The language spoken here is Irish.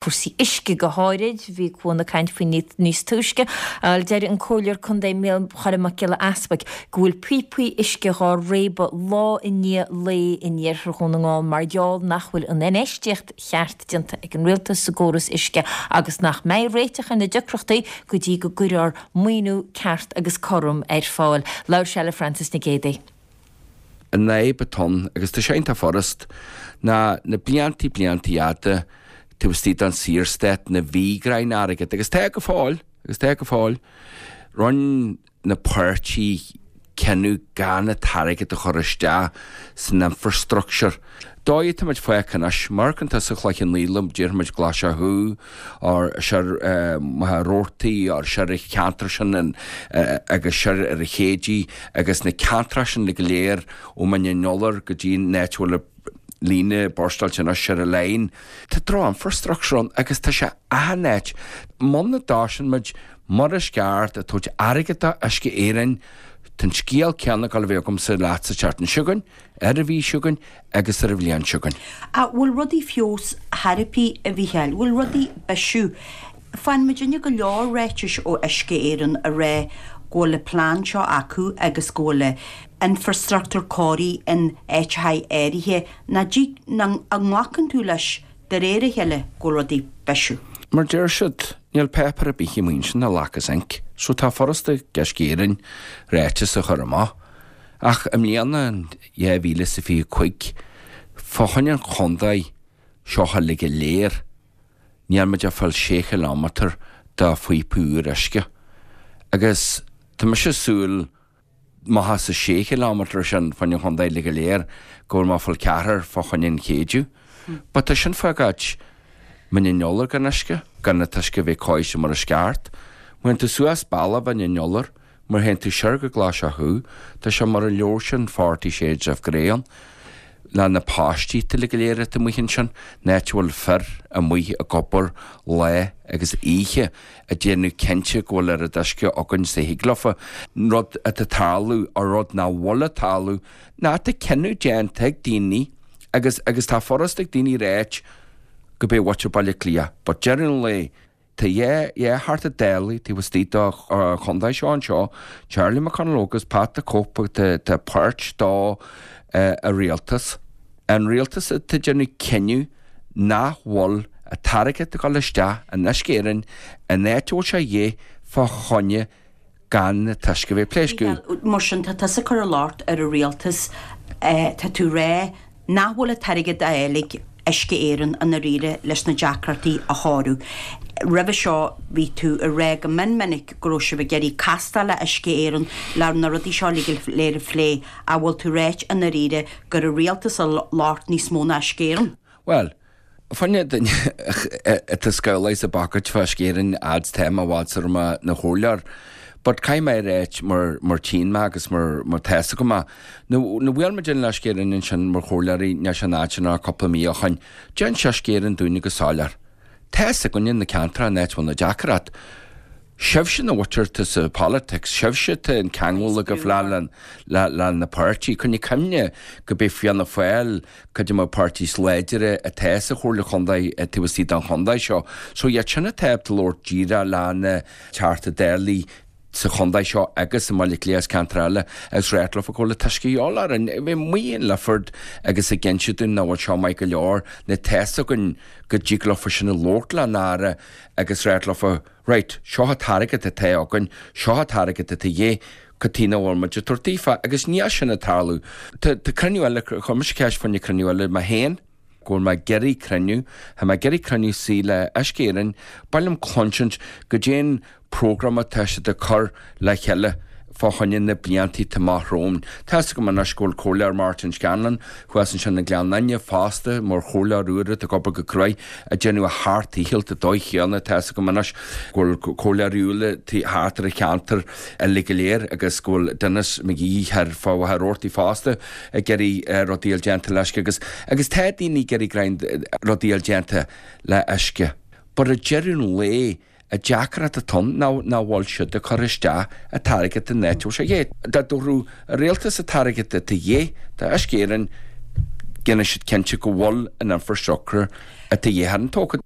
Cúrsaí uisce go háirid, bhí Cuan ag caint faoi níos túisce. Bhuel, deir an Comhairleoir Contae Micheál Mac Giolla Easpaig go bhfuil píopaí uisce dhá réabadh lá i ndiaidh lae in iarthar Dhún na nGall mar gheall nach bhfuil an infheistíocht cheart déanta ag an Rialtas sa gcóras uisce agus nach mbeidh réiteach ar na deacrachtaí go dtí go gcuirfear maoiniú ceart agus cothrom ar fáil. Labhair sé le Frances Nic Géadaigh. An fhadhb atá ann, agus tá sé iontach furast, ná na bliantaí bliantaí fhada taobh istigh den Saorstát na bhí greim airgead, agus tá go fóill, agus tá go fóill, rinne na páirtí cinneadh gan an t-airgead a chur isteach san infrastructure. Dóigh atá muid fágtha anois, má amharcann tusa Cloich Cheann Fhaola, déarfaidh muid Glaise Chú, or soir Machaire Rabhartaigh, or soir an cheantar sin agus soir ar an Chéididh agus na ceantracha sin go léir ó Mhín an Iolair go dtí an áit a bhfuil an líne burstáilte anois soir an line. Tá droch-infrastructure ann agus tá sé achan áit. Muna dtosaíonn muid mar is ceart ag tabhairt airgead do Uisce Éireann, tá an scéal céanna ag dul a bheith agamsa leat sa tseachtain seo chugainn, ar an mhí seo chugainn agus ar an bhliain seo chugainn. Ach bhfuil rudaí feabhas chor ar bith, a Mhícheáil? Bhfuil rudaí bisiú? Faigheann muidinne go leor ráitis ó Uisce Éireann a rá go bhfuil an plean seo acu agus go bhfuil an infrastruchtúr cóirithe in áiteacha áirithe. Ná dtig, ná an nglacann tú leis de réir a chéile go bhfuil rudaí bisiú? Mar deir siad, níl páipéar ar bith amuigh ansin a ghlacas ink, so tá furasta ag Uisce Éireann ráiteas a chur amach. Ach i mbliana, in 2025, fá choinne an chontae seo uilig go léir, níl muid ag fáil sé chileámetar de phíopa úr uisce. Agus tá mise ag súil, má tá sa sé chileámetar sin fá choinne an chontae uilig go léir, go bhfuil mé ag fáil ceathrar fá choinne an Chéideadh. But tá sin fágáint Mín an Iolair gan uisce, gan an t-uisce a bheith cóirithe mar is ceart. Má théann tú suas bealach Mhín an Iolair, Má théann tú soir go Glaise Chú, tá sé mar an leabhar sin Forty Shades of Grey ann, le na páistí uilig go léir atá amuigh ansin, an áit a bhfuil fir amuigh ag obair lá agus oíche ag déanamh cinnte go bhfuil oiread uisce againn is a thig leofa. Rud atá ag tarlú, or rud nach bhfuil ag tarlú, ná tá cinneadh déanta ag daoine agus agus tá furasta ag daoine ráit go b'é mhuintir Baile Átha Cliath, but deireadh an lae, Tá dhá Theachta Dála taobh istigh den chontae seo anseo, Charlie McConalogue agus Pat the Cope atá páirt dó a rialtas. An rialtas atá ag déanamh cinneadh nach bhfuil an t-airgead ag dul isteach in Uisce Éireann an áit a bhfuil sé a dhíth fá choinne gan an t-uisce a bheith ag pléascadh. Mar sin, tá tusa ag cur an locht ar an rialtas, tá tú ag rá nach bhfuil an t-airgead á fháil ag Uisce Éireann i ndáiríre leis na deacrachtaí a shárú. Roimhe seo bhí tú ag rá go mion minic go raibh sibh ag iarraidh castáil le Uisce Éireann le na rudaí seo uilig go léir a phlé, ach bhfuil tú ag ráit i ndáiríre gur an rialtas an locht níos mó ná Uisce Éireann? Bhuel, Fá choinne duine atá scamhlaithe sa bpacket fá Uisce Éireann fhad 's tá mé i bhfad sar mé 'na chomhairleoir. But caithfidh mé a ráit mar mar tchíonn mé agus mar mar tá's agam é. Nuair a bhuail muid le Uisce Éireann ansin mar chomhairleoirí níl sé an fhad sin ná cúpla mí ó shoin, d'inis Uisce Éireann dúinne go soiléir. Tá's againne na ceantracha an áit a bhfuil na deacracht. Sibhse na mhuintir atá sa politics, sibhse atá an ceangal agaibh le le na páirtí. Coinnigh cuimhne go b'é Fianna Fáil cuid de na páirtí is láidire atá sa Chomhairle Chontae taobh istigh den chontae seo. So iad sin atá ábalta labhairt díreach le na Teachtaí Dála sa chontae seo agus i mBaile Átha Cliath agus ceantair eile agus ráit leofa go bhfuil an t-uisce a dhíobháil orainn. Bheith amuigh in Lifford agus ag inse dúinn nach bhfuil seo maith go leor, nó tá's againn go dtig leofa sin a labhairt leis an Aire agus ráit leofa right, seo an t-airgead atá againn, seo an t-airgead atá a dhíth, cad chuige nach bhfuil muid ag tabhairt daofa, agus níl sin ag tarlú. Tá cruinniú eile, chuir mise ceist fá choinne cruinniú eile mé féin, go bhfuil mé ag iarraidh cruinniú, tá mé ag iarraidh cruinniú suí le Uisce Éireann, ba mhaith liom cluinsint goidé an programme atá siad ag cur le chéile fá choinne na blianta atá amach romhainn. Tá's agam anois go bhfuil Comhairleoir Martin Scanlon thuas ansin i nGleann Fhinne fosta mar chomhairleoir úr atá ag obair go cruaidh ag déanamh a sheacht ndícheall sa dóigh chéanna. Tá's agam anois go bhfuil comhairleoirí eile thart ar an cheantar uilig go léir agus go bhfuil Denis McGee thoir fá Mhachaire Rabhartaigh fosta ag iarraidh rudaí a fháil déanta le uisce agus agus tá daoine ag iarraidh rudaí a fháil déanta le uisce. But ag deireadh an lae An deacracht atá ann ná nach bhfuil siad ag cur isteach an t-airgead an áit a bhfuil sé a dhíth. Dá dtabharfadh an rialtas an t-airgead atá a dhíth do Uisce Éireann, déanfaidh siad cinnte go bhfuil an infrastructure atá a dhíth orainn tógtha.